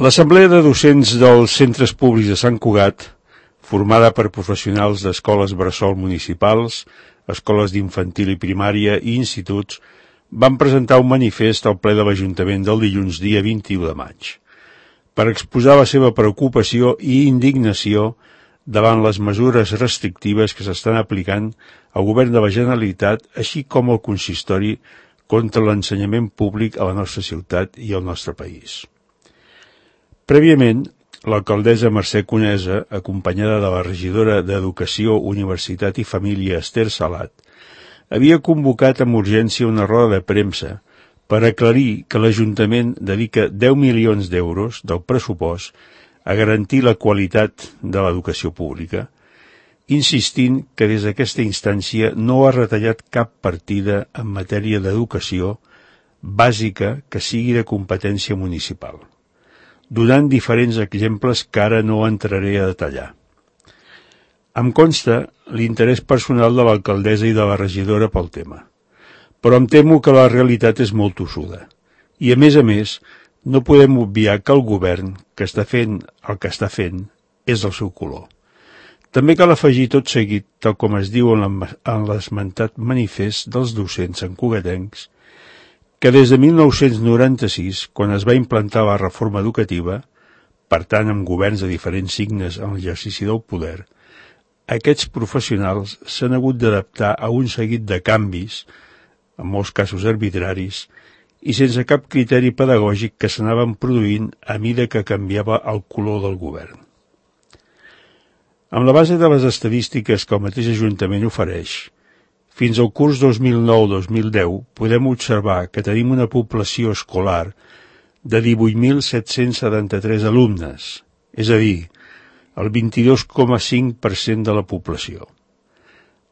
L'Assemblea de Docents dels Centres Públics de Sant Cugat, formada per professionals d'escoles bressol municipals, escoles d'infantil i primària i instituts, van presentar un manifest al ple de l'Ajuntament del dilluns dia 21 de maig, per exposar la seva preocupació i indignació davant les mesures restrictives que s'estan aplicant al Govern de la Generalitat, així com al consistori contra l'ensenyament públic a la nostra ciutat i al nostre país. Prèviament, l'alcaldessa Mercè Conesa, acompanyada de la regidora d'Educació, Universitat i Família Esther Salat, havia convocat amb urgència una roda de premsa per aclarir que l'Ajuntament dedica 10 milions d'euros del pressupost a garantir la qualitat de l'educació pública, insistint que des d'aquesta instància no ha retallat cap partida en matèria d'educació bàsica que sigui de competència municipal, donant diferents exemples que ara no entraré a detallar. Em consta l'interès personal de l'alcaldessa i de la regidora pel tema, però em temo que la realitat és molt tossuda. I, a més, no podem obviar que el govern que està fent el que està fent és del seu color. També cal afegir tot seguit, tal com es diu en l'esmentat manifest dels docents santcugatencs, que des de 1996, quan es va implantar la reforma educativa, per tant amb governs de diferents signes en l'exercici del poder, aquests professionals s'han hagut d'adaptar a un seguit de canvis, en molts casos arbitraris, i sense cap criteri pedagògic que s'anaven produint a mida que canviava el color del govern. Amb la base de les estadístiques que el mateix Ajuntament ofereix, fins al curs 2009-2010 podem observar que tenim una població escolar de 18.773 alumnes, és a dir, el 22,5% de la població.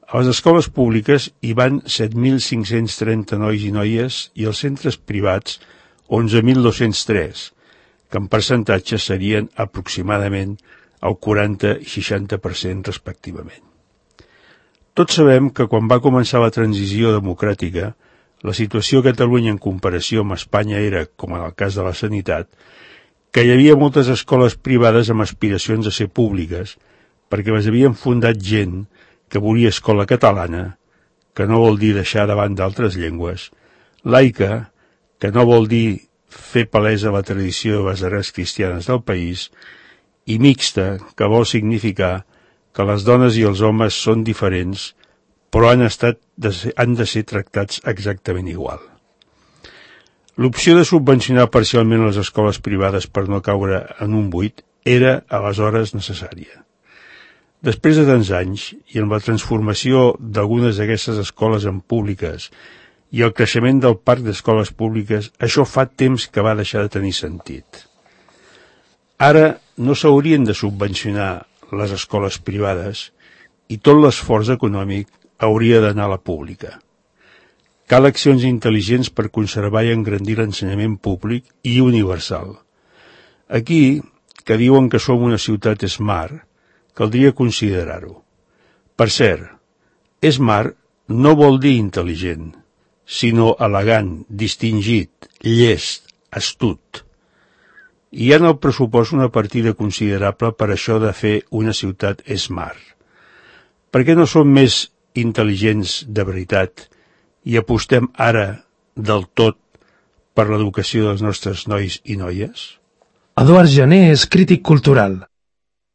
A les escoles públiques hi van 7.530 nois i noies i als centres privats 11.203, que en percentatge serien aproximadament el 40 i 60% respectivament. Tots sabem que quan va començar la transició democràtica, la situació a Catalunya en comparació amb Espanya era, com en el cas de la sanitat, que hi havia moltes escoles privades amb aspiracions a ser públiques, perquè les havien fundat gent que volia escola catalana, que no vol dir deixar davant d'altres llengües, laica, que no vol dir fer palesa la tradició de les arrels cristianes del país, i mixta, que vol significar que les dones i els homes són diferents, però han de ser tractats exactament igual. L'opció de subvencionar parcialment les escoles privades per no caure en un buit era aleshores necessària. Després de tants anys, i amb la transformació d'algunes d'aquestes escoles en públiques i el creixement del parc d'escoles públiques, això fa temps que va deixar de tenir sentit. Ara no s'haurien de subvencionar les escoles privades i tot l'esforç econòmic hauria d'anar a la pública. Cal accions intel·ligents per conservar i engrandir l'ensenyament públic i universal. Aquí, que diuen que som una ciutat smart, caldria considerar-ho. Per cert, smart no vol dir intel·ligent, sinó elegant, distingit, llest, astut. Hi ha en el pressupost una partida considerable per això de fer una ciutat smart. Per què no som més intel·ligents de veritat i apostem ara del tot per l'educació dels nostres nois i noies? Eduard Jané és crític cultural.